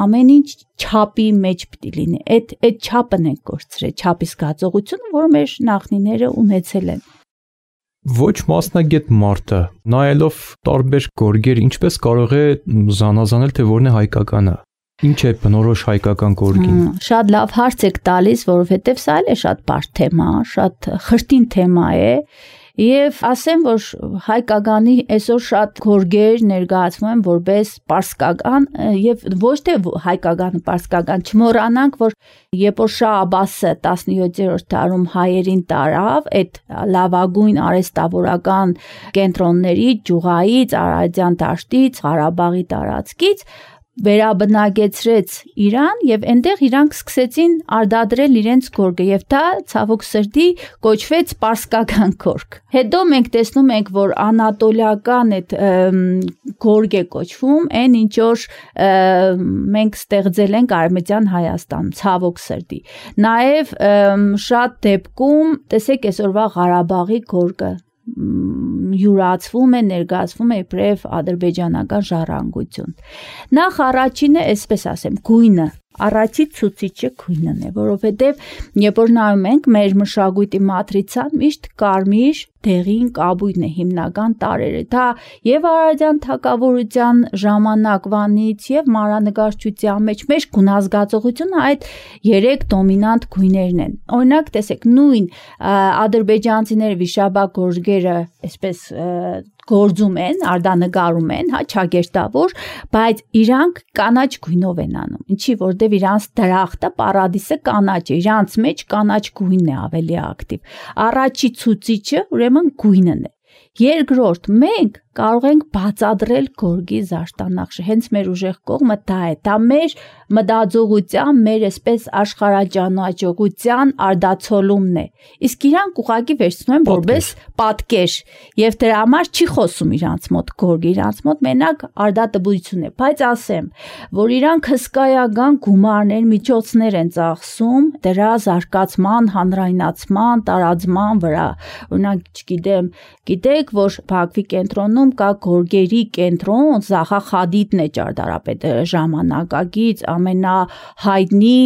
Ամեն ինչ չափի մեջ պետք է լինի։ Այդ այդ չափն ենք կորցրել, չափի զգացողությունը, որը մեր նախնիները ունեցել են։ Ոչ մասնագետ մարդը նայելով տարբեր գորգեր ինչպես կարող է զանազանել թե որն է հայկականը։ Ինչ է բնորոշ հայկական գորգին։ Շատ լավ հարց եք տալիս, որովհետև սա էլ է շատ բարդ թեմա, շատ խրտին թեմա է։ Եվ ասեմ, որ հայկականի այսօր շատ գորգեր ներկայացվում են որպես պարսկական եւ ոչ թե հայկականը պարսկական, չմոռանանք, որ երբ որ Շահ Աբբասը տասնյոթերորդ դարում հայերին տարավ, այդ լավագույն արհեստավորական կենտրոնների Ջուղայից, Արարատյան դաշտից, Ղարաբաղի տարածքից վերաբնակեցրեց Իրան եւ այնտեղ իրանք սկսեցին արտադրել իրենց գորգը եւ դա ցավոք սրտի կոչվեց պարսկական գորգ։ Հետո մենք տեսնում ենք, որ անատոլիական այդ գորգ է կոչվում, այն ինչ որ մենք ստեղծել ենք Արևմտյան Հայաստանում, ցավոք սրտի։ Նաեւ շատ դեպքում, տեսեք այսօրվա Ղարաբաղի գորգը յուրացվում է, ներկայացվում է իբրև ադրբեջանական ժառանգություն։ Նախ առաջինը, այսպես ասեմ, գույնը, առաջի ցուցիչը գույնն է, որովհետև երբ որ նայում ենք մեր մշակույթի մատրիցան, միշտ կարմիր դեղին կաբույն է հիմնական տարերը։ Դա եւ Արարատյան թագավորության ժամանակվանից եւ մանրանկարչության մեջ մեր գունազգացողությունը այդ երեք դոմինանտ գույներն են։ Օրինակ, տեսեք, նույն ադրբեջանցիները վիշապա գորգերը այսպես գործում են, արտանկարում են, հա, չագերտավոր, բայց իրանք կանաչ գույնով են անում։ Ինչի, որտեվ իրանց դրախտը, պարադիսը կանաչ է, իրանց մեջ կանաչ գույնն է ավելի ակտիվ։ Առաջի ցուցիչը ուրեմն գույնն է։ Երկրորդ, մենք կարող ենք բացատրել գորգի զարդանախշը, հենց մեր ուժեղ կողմը դա է, դա մեր մտածողության, մեր այսպես աշխարհաճանաչողության արդացոլումն է։ Իսկ իրանք ուղղակի վերցնում են որպես պատկեր, եւ դրա համար չի խոսում իրանց մոտ գորգը, իրանց մոտ մենակ արդատբություն է, բայց ասեմ, որ իրանք հսկայական գումարներ, միջոցներ են ծախսում դրա զարգացման, հանրայնացման, տարածման վրա։ Օրինակ, չգիտեմ, գիտեք, որ Բաքվի կենտրոնում կա գորգերի կենտրոն, Զախա Խադիդն է ճարտարապետը ժամանակակից ամենահայտնի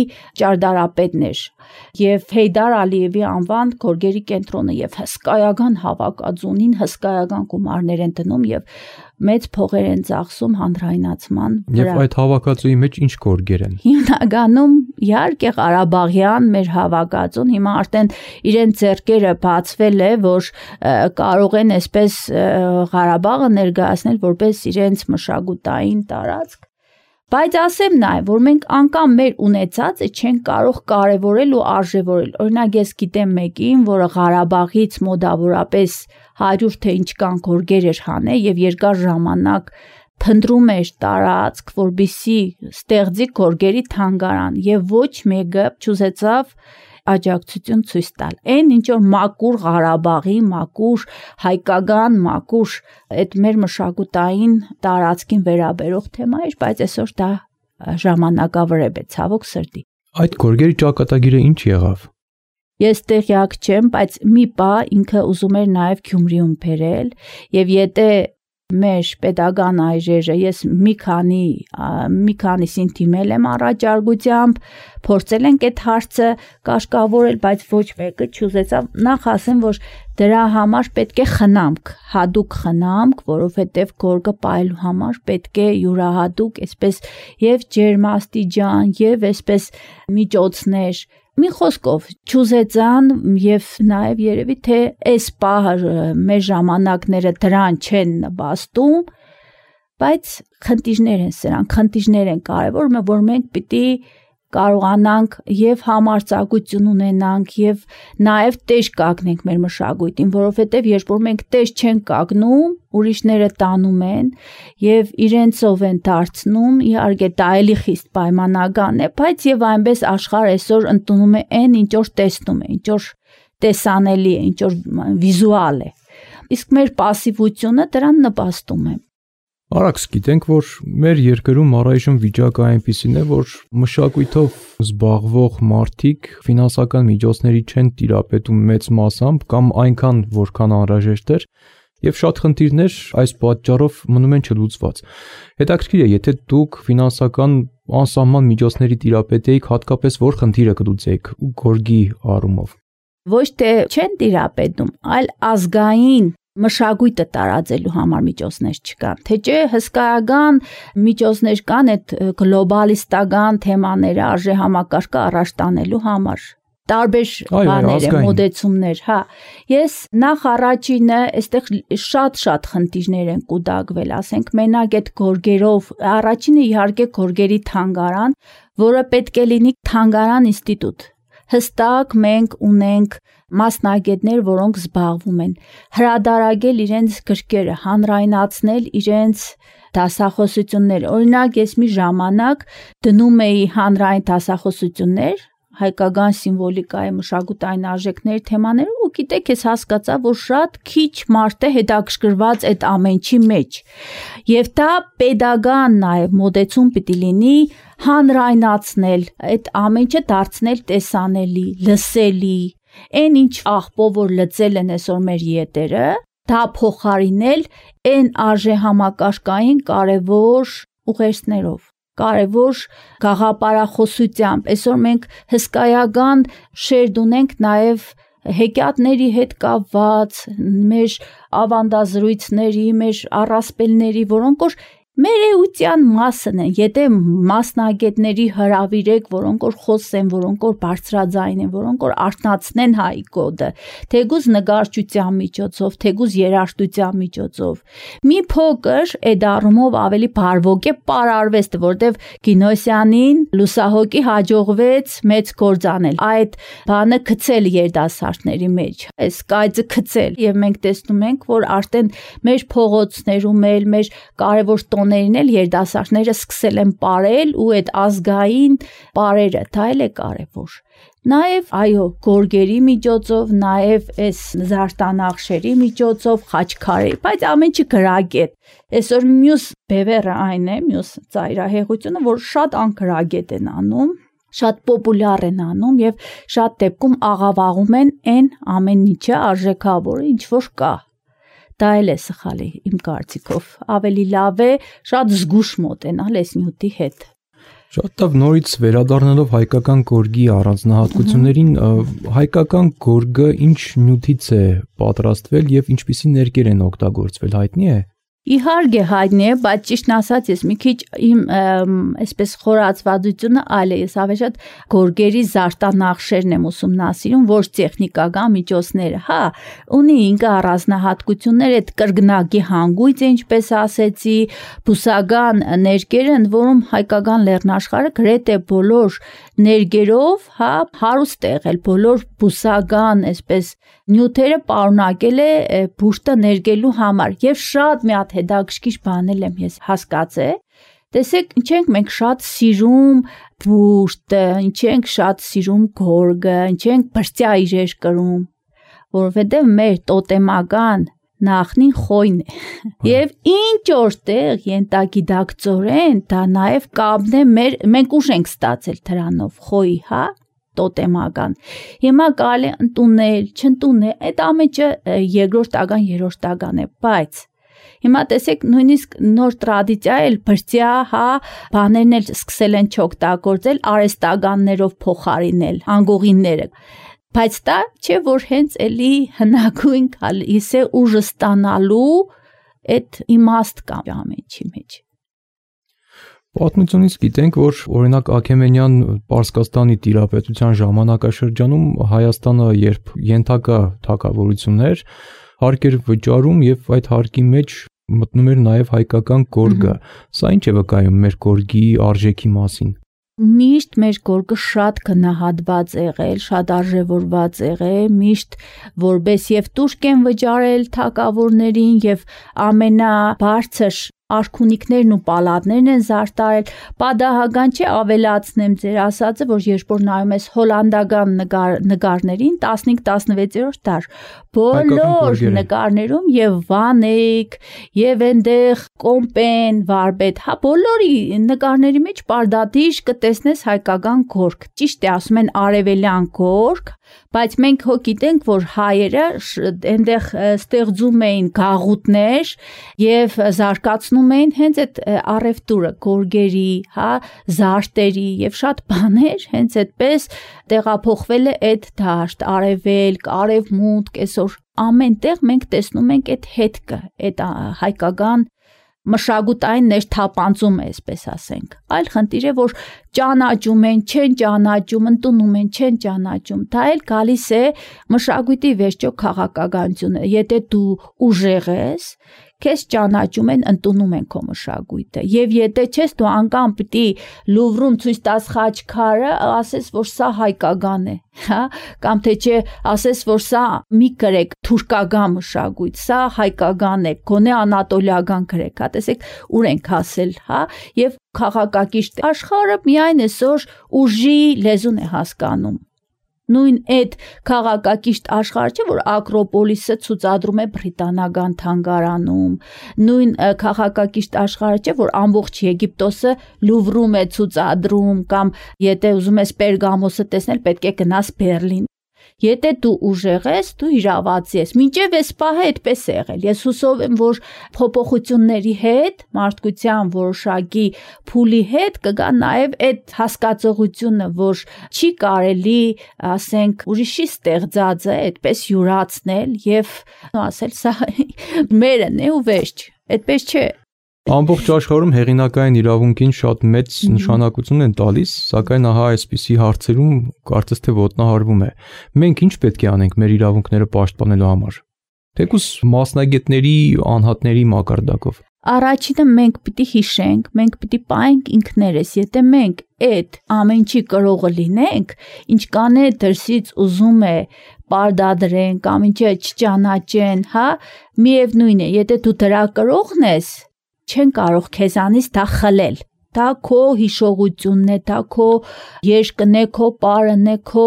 ճարտարապետն էր եւ Հեյդար Ալիևի անվան գորգերի կենտրոնը եւ հսկայական հավաքածունին հսկայական գումարներ են դնում եւ մեծ փողեր են ծախսում հանրայնացման վրա։ Եվ այդ հավաքածուի մեջ ինչ գորգեր են։ Հիմնականում իհարկե Ղարաբաղյան մեր հավաքածուն հիմա արդեն իրեն ձեռքերը բացվել է, որ կարող են այսպես Ղարաբաղը ներկայացնել որպես իրենց մշակութային տարածք։ Բայց ասեմ նաև, որ մենք անգամ մեր ունեցածը չենք կարող կարևորել ու արժևորել։ Օրինակ ես գիտեմ մեկին, որը Ղարաբաղից մոտավորապես հարյուր թե ինչքան գորգեր էր հանել եւ երկար ժամանակ փնտրում էր տարածք, որպեսզի ստեղծի գորգերի թանգարան եւ ոչ մեկը չուզեցավ աջակցություն ցույց տալ։ Այն ինչ որ մակուր Ղարաբաղի, մակուր հայկական, մակուր այդ մեր մշակութային տարածքին վերաբերող թեմա էր, բայց այսօր դա ժամանակավրեպ է, ցավոք սրտի։ Այդ գորգերի ճակատագիրը ինչ եղավ։ Ես տեղյակ չեմ, բայց մի բա ինքը ուզում էր նաև Գյումրիում բերել եւ եթե մեր pedagogan այրերը ես մի քանի մի քանիսին դիմել եմ առաջարկությամբ, փորձել ենք այդ հարցը կաշկավորել, բայց ոչ մեկը չուզեցավ։ Նախ ասեմ, որ դրա համար պետք է խնամք, հadoop խնամք, որովհետև գորգը պայելու համար պետք է յուրահատուկ, այսպես եւ ջերմաստիճան եւ այսպես միջոցներ։ Մի խոսքով չուզեցան եւ նաեւ երևի թե այս պահը մեր ժամանակները դրան չեն նպաստում, բայց խնդիրներ են սրանք, խնդիրներ են կարևոր, որ մենք պիտի կարողանանք եւ համարձակություն ունենանք եւ նաեւ տեժ կանգնենք մեր մշակույթին, որովհետեւ երբ որ մենք տեժ չենք կանգնում, ուրիշները տանում են եւ իրենցով են դարձնում, իհարկե դա էլի խիստ պայմանական է, բայց եւ այնպես աշխարհը այսօր ընդունում է այն, ինչ որ տեսնում է, ինչ որ տեսանելի է, ինչ որ վիզուալ է։ իսկ մեր пասիվությունը դրան նպաստում է։ Արաքս, գիտենք, որ մեր երկրում առայժմ վիճակը այնպիսին է, որ մշակույթով զբաղվող մարդիկ ֆինանսական միջոցների չեն տիրապետում մեծ մասամբ կամ այնքան, որքան անհրաժեշտ էր, եւ շատ խնդիրներ այս պատճառով մնում են չլուծված։ Հետաքրքիր է, եթե դուք ֆինանսական անսահման միջոցների տիրապետեիք, հատկապես որ խնդիրը կլուծեիք գորգի առումով։ Ոչ թե չեն տիրապետում, այլ ազգային մշակույթը տարածելու համար միջոցներ չկան, թե չէ հսկայական միջոցներ կան այդ գլոբալիստական թեմաները արժեհամակարգը առաջ տանելու համար, տարբեր բաներ են, մոդեցումներ, հա։ Ես նախ առաջինը, այստեղ շատ-շատ խնդիրներ են կուտակվել, ասենք մենակ այդ գորգերով, առաջինը իհարկե գորգերի թանգարան, որը պետք է լինի թանգարան ինստիտուտ։ Հստակ մենք ունենք մասնագետներ, որոնք զբաղվում են հրադարագել իրենց գրքերը, հանրայնացնել իրենց դասախոսությունները։ Օրինակ, ես մի ժամանակ դնում էի հանրային դասախոսություններ, հայկական սիմվոլիկայի մշակութային արժեքների թեմաները, ու գիտեք, ես հասկացա, որ շատ քիչ մարդ է հետաքրքրված այդ ամենի մեջ։ Եվ դա պետական նաև մոդեցում պիտի լինի հանրայնացնել, այդ ամենը դարձնել տեսանելի, լսելի, այն ինչ աղբով որ լծել են այսօր մեր ետերը, դա փոխարինել այն արժեհամակարգային կարևոր ուղերձներով, կարևոր գաղափարախոսությամբ։ Այսօր մենք հսկայական շերտ ունենք նաև հեքիաթների հետ կապված, մեր ավանդազրույցների, մեր առասպելների, որոնք որ մեր էության մասն են, եթե մասնագետների հրավիրեք, որոնք որ խոսեն, որոնք որ բարձրաձայն են, որոնք որ արթնացնեն հայ կոդը, թեկուզ նկարչության միջոցով, թեկուզ երաժշտության միջոցով։ Մի փոքր այդ առումով ավելի բարվոք է պարարվեստը, որտեվ Գինոսյանին լուսահոգի հաջողվեց մեծ գործ անել, այդ բանը գցել երիտասարդների մեջ, այս կայծը գցել, եւ մենք տեսնում ենք, որ արդեն մեր փողոցներում էլ, մեր կարևոր տոներին էլ երիտասարդները սկսել են ապրել ու այդ ազգային բարերը, դա էլ է կարևոր։ Նաև, այո, գորգերի միջոցով, նաև այս զարդանախշերի միջոցով, խաչքարերի, բայց ամենը գրագետ։ Այսօր մյուս բևեռը այն է, մյուս ծայրահեղությունը, որ շատ անկրագետ են անում, շատ պոպուլյար են անում եւ շատ դեպքում աղավաղում են այն ամեն ինչը արժեքավորը, ինչ որ կա։ Դա էլ է սխալի իմ կարծիքով, ավելի լավ է շատ զգուշ մոտենալ այս նյութի հետ։ Շատ լավ, նորից վերադառնալով հայկական գորգի առանձնահատկություններին, հայկական գորգը ինչ նյութից է պատրաստվել եւ ինչպիսի ներկեր են օգտագործվել, հայտնի է։ Իհարկե հայտնի է, բայց ճիշտն ասած ես մի քիչ իմ այսպես խորացվածությունը այլ է, ես ավելի շատ գորգերի զարդանախշերն եմ ուսումնասիրում, ոչ տեխնիկական միջոցները, հա, ունի ինքը առանձնահատկություններ, այդ կրկնակի հանգույցը, ինչպես ասեցի, բուսական ներկերը, ընդ որում հայկական լեռնաշխարհը գրեթե բոլոր ներկերով, հա, հարուստ է եղել, բոլոր բուսական, այսպես նյութերը պարունակել է բուժտը ներկելու համար եւ շատ մի հատ հետաքրքիր բանել եմ ես հասկացել։ Տեսեք, ինչ ենք մենք շատ սիրում բուժտը, ինչ ենք շատ սիրում գորգը, ինչ ենք բրծյա իրեր կրում, որովհետեւ մեր տոտեմական նախնին խոյն է։ Եվ ինչ որտեղ ենթագիտակցորեն դա նաև կապն է մեր, մենք ուժ ենք ստացել դրանով խոյի, հա, տոտեմական։ Հիմա կարելի ընդունել, չընդունել, այդ ամենը երկրորդական, երրորդական է, բայց հիմա տեսեք նույնիսկ նոր տրադիցիա էլ բրծյա, հա, բաներն էլ սկսել են չօգտագործել, արհեստականներով փոխարինել, անգողինները։ Բայց դա չէ որ հենց էլի հնագույն գալիս է ուժը ստանալու այդ իմաստ կա ամենի մեջ։ Պատմությունից գիտենք, որ օրինակ Աքեմենյան Պարսկաստանի տիրապետության ժամանակաշրջանում Հայաստանը երբ ենթակա թագավորություններ հարկ էր վճարում եւ այդ հարկի մեջ մտնում էր նաեւ հայկական գորգը։ Սա ինչ է վկայում մեր գորգի արժեքի մասին։ Միշտ մեր գորգը շատ գնահատված եղել, շատ արժևորված եղել, միշտ որպես եւ տուրք են վճարել թագավորներին եւ ամենաբարձր արքունիքներն ու պալատներն են զարդարել, պատահական չէ ավելացնեմ ձեր ասածը, որ երբ որ նայում ես հոլանդական նկար, նկարներին տասնհինգ տասնվեցերորդ դար, բոլոր նկարներում եւ Վանեյք, եւ այնտեղ Կոմպեն, Վարպետ, հա բոլորի նկարների մեջ պարդատիժ կտեսնես հայկական գորգ։ Ճիշտ է, ասում են արևելյան գորգ, բայց մենք հո գիտենք, որ հայերը այնտեղ ստեղծում էին գաղութներ եւ զարգացնում էին հենց այդ առևտուրը, գորգերի, հա, զարդերի եւ շատ բաներ հենց այդպես տեղափոխվել է այդ դաշտ, արևելք, արևմուտք, այսօր ամենտեղ մենք տեսնում ենք այդ հետքը, այդ հայկական մշակութային ներթափանցում է, այսպես ասենք։ Այլ խնդիր է, որ ճանաչում են, չեն ճանաչում, ընդունում են, չեն ճանաչում։ Դա էլ գալիս է մշակույթի վերջո քաղաքականությունը։ Եթե դու ուժեղ ես, քեզ ճանաչում են, ընդունում են քո մշակույթը։ Եվ եթե չես, դու անգամ պիտի Լուվրում ցույց տաս խաչքարը, ասես, որ սա հայկական է, հա, կամ թե չէ, ասես, որ սա մի գրեք թուրքական մշակույթ, սա հայկական է, գոնե անատոլիական գրեք, հա, տեսեք, ուր ենք հասել, հա, եւ քաղաքակիրթ աշխարհը միայն այսօր ուժի լեզուն է հասկանում։ Նույն այդ քաղաքակիրթ աշխարհը չէ, որ Ակրոպոլիսը ցուցադրում է բրիտանական թանգարանում, նույն քաղաքակիրթ աշխարհը չէ, որ ամբողջ Եգիպտոսը Լուվրում է ցուցադրում, կամ եթե ուզում ես Պերգամոսը տեսնել, պետք է գնաս Բերլին։ Եթե դու ուժեղ ես, դու իրավացի ես։ Մինչև այս պահը այդպես է եղել։ Ես հուսով եմ, որ փոփոխությունների հետ, մարդկության որոշակի փուլի հետ կգա նաև այդ հասկացողությունը, որ չի կարելի, ասենք, ուրիշի ստեղծածը այդպես յուրացնել եւ ասել սա մերն է ու վերջ։ Այդպես չէ։ Ամբողջ աշխարհում հեղինակային իրավունքին շատ մեծ նշանակություն են տալիս, սակայն ահա այսպիսի հարցերում կարծես թե ոտնահարվում է։ Մենք ինչ պետք է անենք մեր իրավունքները պաշտպանելու համար։ Թեկուզ մասնագետների անհատների մակարդակով։ Առաջինը մենք պիտի հիշենք, մենք պիտի պահենք ինքներս, եթե մենք այդ ամեն ինչի կրողը լինենք, ինչ կանե դրսից ուզում է պարտադրեն կամ ինչը չճանաչեն, հա, միևնույն է, եթե դու դրա կրողն ես, չեն կարող քեզանից դա խլել։ Դա քո հիշողությունն է, դա քո երկն է, քո պարն է, քո,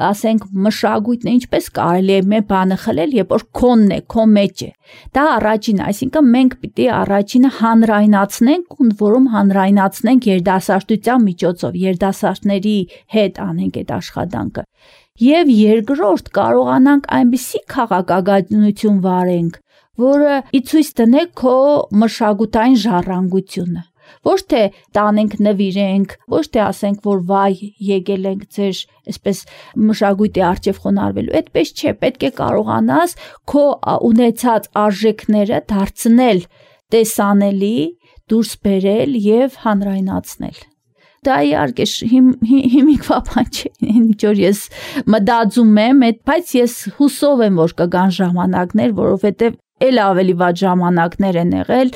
ասենք, մշակույթն է, ինչպես կարելի է մեր բանը խլել, երբ որ քոնն է, քո մեջ է։ Դա առաջինը, այսինքն մենք պիտի առաջինը հանրայնացնենք, ու որում հանրայնացնենք երիտասարդության միջոցով, երիտասարդների հետ անենք այդ աշխատանքը։ Եվ երկրորդ կարողանանք այնպիսի քաղաքականություն վարենք, որը իցույց տնե քո մշակութային ժառանգությունը։ Ոչ թե տանենք նվիրենք, ոչ թե ասենք, որ վայ եկել ենք ձեր այսպես մշակույթի առջև խոնարհվելու, այդպես չէ, պետք է կարողանաս քո ունեցած արժեքները դարձնել տեսանելի, դուրս բերել եւ հանրայնացնել։ Դա իհարկե հիմիկվա բան չէ, ինչ որ ես մտածում եմ, բայց ես հուսով եմ, որ կգան ժամանակներ, որովհետեւ էլ ավելի վատ ժամանակներ են եղել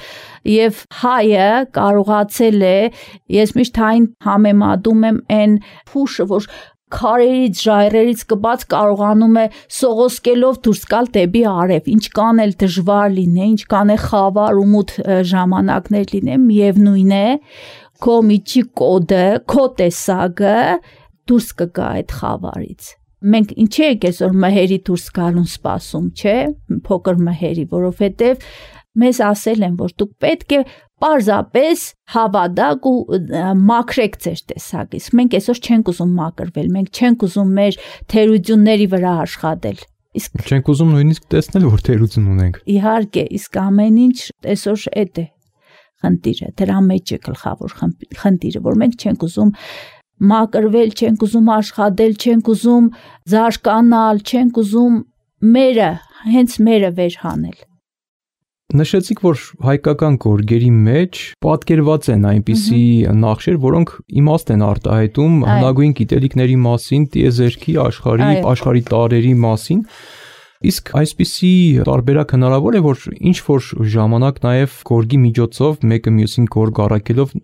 եւ հայը կարողացել է, ես միշտ հայն համեմատում եմ այն փուշը, որ քարերից, ժայռերից կբաց կարողանում է սողոսկելով դուրս գալ դեպի արև, ինչ կան էլ դժվար լինե, ինչ կան է խավար ու մութ ժամանակներ լինե, միևնույն է, քո միջի կոդը, քո տեսակը դուրս կգա այդ խավարից։ Մենք ինչի եք այսօր մհերի դուրս գալուն սպասում, չէ՞, փոքր մհերի, որովհետև մեզ ասել են, որ դուք պետք է պարզապես հավատաք ու մաքրեք ձեր տեսակից։ Մենք այսօր չենք ուզում մաքրվել, մենք չենք ուզում մեր թերությունների վրա աշխատել։ Իսկ չենք ուզում նույնիսկ տեսնել, որ թերություն ունենք։ Իհարկե, իսկ ամեն ինչ այսօր այդ է խնդիրը, դրա մեջ է գլխավոր խնդիրը, որ մենք չենք ուզում մակրվել, չենք ուզում աշխատել, չենք ուզում զարգանալ, չենք ուզում մերը, հենց մերը վերհանել։ Նշեցիք, որ հայկական գորգերի մեջ պատկերված են այնպիսի նախշեր, որոնք իմաստ են արտահայտում հնագույն գիտելիքների մասին, տիեզերքի, աշխարհի, աշխարհի տարրերի մասին։ Իսկ այսպիսի տարբերակ հնարավոր է, որ ինչ որ ժամանակ նաև գորգի միջոցով մեկը մյուսին գորգ առաքելով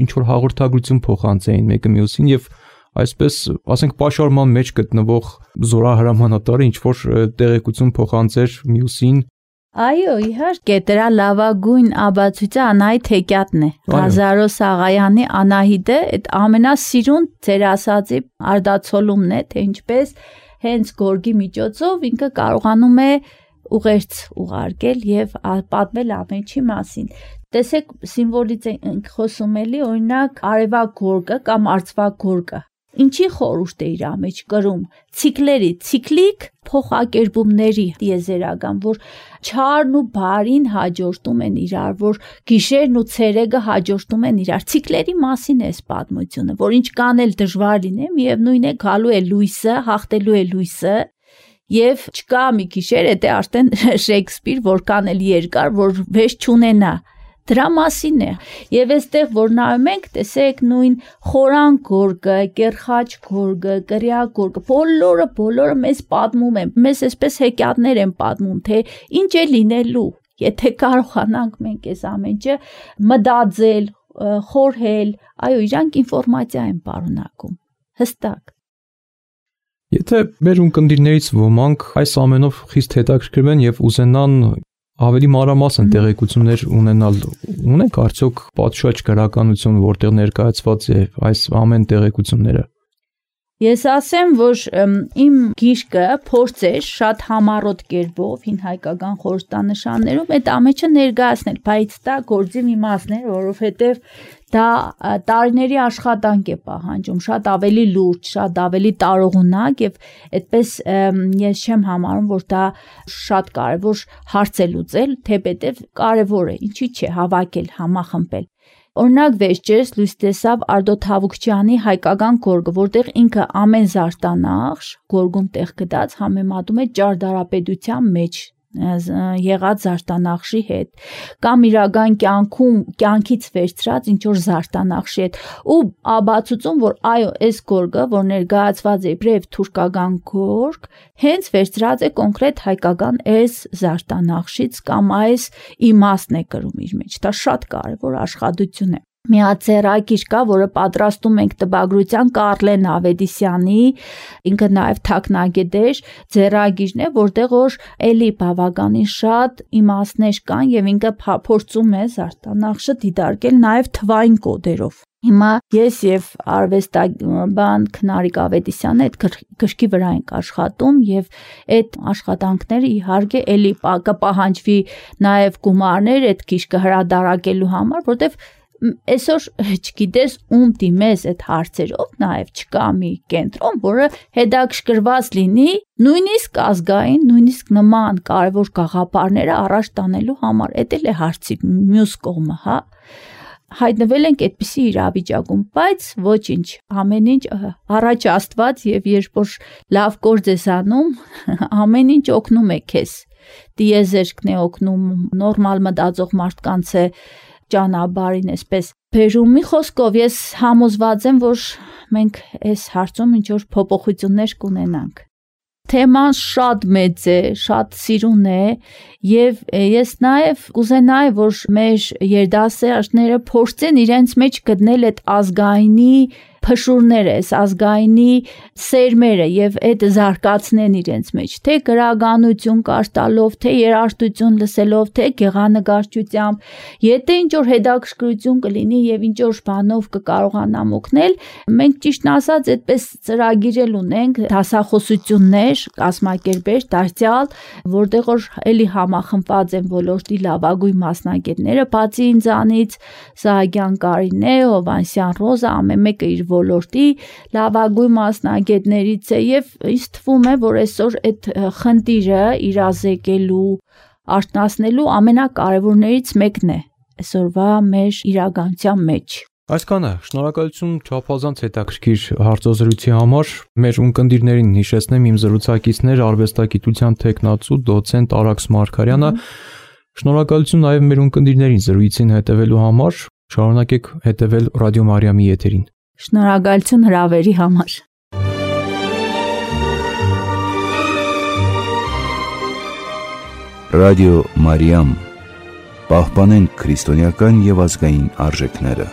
ինչ որ հաղորդագրություն փոխանցեին մեկը մյուսին եւ այսպես, ասենք, պաշարման մեջ գտնվող զորահրամանատարը ինչ որ տեղեկություն փոխանցեր մյուսին Այո, իհարկե, դրա լավագույն աբացույցը Անահիտ Հեքիաթն է։ Ղազարոս Աղայանի Անահիտը այդ ամենասիրուն ձեր ասածի արդացոլումն է, թե ինչպես հենց գորգի միջոցով ինքը կարողանում է ուղերձ ուղարկել եւ պատմել ամեն ինչի մասին։ Տեսեք, սիմվոլից ենք խոսում էլի, օրինակ արևակ գորգը կամ արծվակ գորգը։ Ինչի խորհուրդ է իր մեջ կրում, ցիկլերի, ցիկլիկ փոխակերպումների տիեզերական, որ չարն ու բարին հաջորդում են իրար, որ գիշերն ու ցերեկը հաջորդում են իրար։ Ցիկլերի մասին է այս պատմությունը, որ ինչ կանել դժվար լինի, միևնույն է գալու է լույսը, հաղթելու է լույսը, եւ չկա մի գիշեր, դա արդեն Շեքսպիր, որքան էլ երկար, որ վեճ չունենա։ Դրա մասին է։ Եվ այստեղ որ նայում ենք, տեսեք նույն խորան գորգը, կերխաչ գորգը, կրյա գորգը, բոլորը, բոլորը մեզ պատմում են, մեզ այսպես հեքիաթներ են պատմում, թե ինչ է լինելու, եթե կարողանանք մենք այս ամեն ինչը մտածել, խորհել, այո, իրանք ինֆորմացիա են պարունակում, հստակ։ Եթե մեր ունկնդիրներից ոմանք այս ամենով խիստ հետաքրքրվեն եւ ուզենան ավելի մանրամասն տեղեկություններ ունենալ, ունենք արդյոք պատշաճ գրականություն, որտեղ ներկայացված է այս ամեն տեղեկությունները։ Ես ասեմ, որ իմ գիրքը փորձ է շատ համառոտ կերպով հին հայկական խորհրդանշաններում այդ ամենը ներկայացնել, բայց դա գործի մի մասն է, որովհետև դա տարիների աշխատանք է պահանջում, շատ ավելի լուրջ, շատ ավելի տարողունակ եւ այդպես ես չեմ համարում, որ դա շատ կարեւոր հարց է լուծել, թեպետև կարեւոր է, ինչի՞ չէ, հավաքել, համախմբել։ Օրինակ վերջերս լույս տեսավ Արտո Թավուկչյանի հայկական գորգը, որտեղ ինքը ամեն զարտանախշ գորգում տեղ գտած համեմատում է ճարտարապետության մեջ եղած զարտանախշի հետ կամ իրական կյանքում կյանքից վերցրած ինչ որ զարտանախշի հետ ու աբացուցում որ այո այս գորգը որ ներկայացված է իբրև թուրքական գորգ հենց վերցրած է կոնկրետ հայկական այս զարտանախշից կամ այս իմաստն է կրում իր մեջ դա շատ կարևոր աշխատություն է Մի հատ ձեռագիր կա, որը պատրաստում ենք տպագրության Կարլեն Ավետիսյանի, ինքը նաև թաքնագետ էր, ձեռագիրն է, որտեղ որ էլի բավականին շատ իմաստներ կան եւ ինքը փորձում է զարտանախշը դիտարկել նաև թվային կոդերով։ Հիմա ես եւ արվեստաբան Քնարիկ Ավետիսյանը այդ գրքի վրա ենք աշխատում եւ այդ աշխատանքները իհարկե էլի կպահանջվի նաև գումարներ այդ գիրքը հրադարակելու համար, որտեղ Այսօր չգիտես ում դիմես այդ հարցերով, նաև չկա մի կենտրոն, որը հետաքրքրված լինի նույնիսկ ազգային, նույնիսկ նման կարևոր գաղափարները առաջ տանելու համար։ Էդ էլ է հարցի մյուս կողմը, հա։ Հայտնվել ենք այդպիսի իրավիճակում, բայց ոչինչ, ամեն ինչ առաջ Աստված եւ երբ որ լավ գործ ես անում, ամեն ինչ օգնում է քեզ։ Տիեզերքն է օգնում, նորմալ մտածող մարդկանց է ճանապարհին այսպես բերում մի խոսքով ես համոզված եմ որ մենք այս հարցում ինչ որ փոփոխություններ կունենանք թեման շատ մեծ է շատ սիրուն է եւ ես նաեւ կուզենայի որ մեր երդասերները փորձեն իրենց մեջ գտնել այդ ազգայինի փշուրները, այս ազգայինի սերմերը եւ այդ զարգացնեն իրենց մեջ, թե գրականություն կարդալով, թե երաժշտություն լսելով, թե գեղանկարչությամբ, եթե ինչ որ հետաքրքրություն կլինի եւ ինչ որ բանով կկարողանամ օգնել, մենք ճիշտն ասած այդպես ծրագիրել ունենք, դասախոսություններ, կազմակերպեր, դարձյալ, որտեղ որ էլի համախմբված են ոլորտի լավագույն մասնագետները, բացի ինձանից Սահակյան Կարինե, Հովանեսյան Ռոզա, ամեն մեկը իր ոլորտի լավագույն մասնագետներից է եւ ինձ թվում է որ այսօր այդ խնդիրը իրազեկելու արտնասնելու ամենակարևորներից մեկն է այսօրվա մեր իրականության մեջ Այսքանը շնորհակալություն չափազանց հետաքրքիր հարցազրույցի համար մեր ունկնդիրներին հիշեցնեմ իմ զրուցակիցներ արվեստագիտության թեկնածու դոցենտ Արաքս Մարգարյանը շնորհակալություն նաև մեր ունկնդիրներին զրույցին հետևելու համար շարունակեք հետևել Ռադիո Մարիամի եթերին Շնորհակալություն հրավերի համար Ռադիո Մարիամ Պահպանենք քրիստոնեական եւ ազգային արժեքները